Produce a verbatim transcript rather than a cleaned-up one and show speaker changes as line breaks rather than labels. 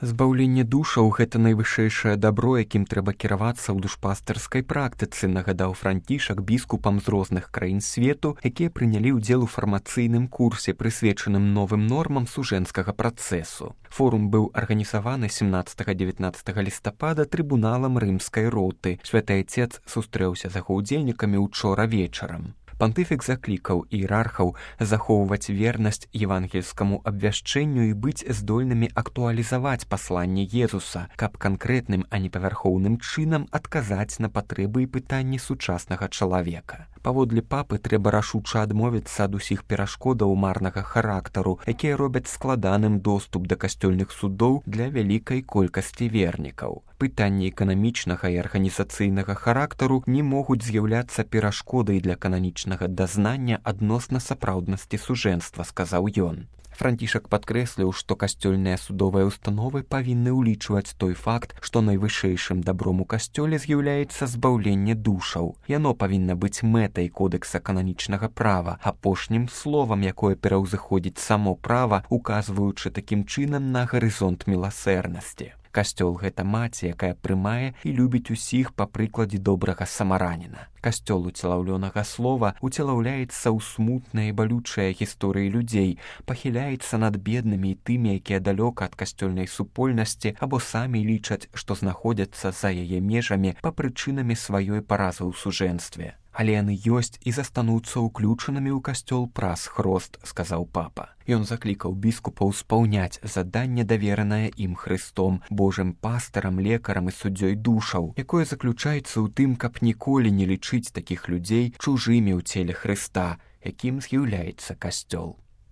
Збаўленне душаў – гэта найвышэйшае дабро, якім трэба кіравацца ў душпастырскай практыцы, нагадаў Францішак біскупам з розных краін свету, якія прынялі ўдзел у фармацыйным курсе, прысвечаным новым нормам сужэнскага працэсу. Форум быў арганізаваны сямнаццатага-дзевятнаццатага лістапада трыбуналам рымскай роты. Святы Айцец сустрэўся з яго ўдзельнікамі учора вечарам. Пантыфік заклікаў іерархаў захоўваць вернасць евангельскаму абвяшчэнню і быць здольнымі актуалізаваць пасланне Езуса, каб канкрэтным, а не павярхоўным чынам адказаць на патрэбы і пытанні сучаснага чалавека. Паводле папы трэба рашуча адмовіцца ад усіх перашкодаў марнага характару, якія робяць складаным доступ да касцёльных судоў для вялікай колькасці вернікаў. Пытанні эканамічнага і арганізацыйнага характару не могуць з'яўляцца перашкодай для кананічнага дазнання адносна сапраўднасці сужэнства, сказаў ён. Францішак падкрэсліў, што касцёльныя судовыя установы павінны ўлічваць той факт, што найвышэйшым дабром у касцёле з'яўляецца збаўленне душаў. Яно павінна быць мэтай кодэкса кананічнага права, апошнім словам, якое пераўзыходзіць само права, указваючы такім чынам на гарызонт міласэрнасці. Касцёл – гэта маці, якая прымае і любіць усіх па прыкладзе добрага самараніна. Касцёл уцелаўлёнага слова уцелаўляецца ў смутныя і балючыя гісторыі людзей, пахіляецца над беднымі і тымі, якія далёка ад касцёльнай супольнасці або самі лічаць, што знаходзяцца за яе межамі па прычынамі сваёй паразы ў сужэнстве. Але яны ёсць і застануцца ўключанымі ў касцёл праз хрост, сказаў папа. Ён заклікаў біскупаў спаўняць заданне, даверанае ім Хрыстом, Божым пастарам, лекарам і суддзёй душаў, якое заключаецца ў тым, каб ніколі не лічыць такіх людзей чужымі ў целе Хрыста, якім з'яўляецца касцёл.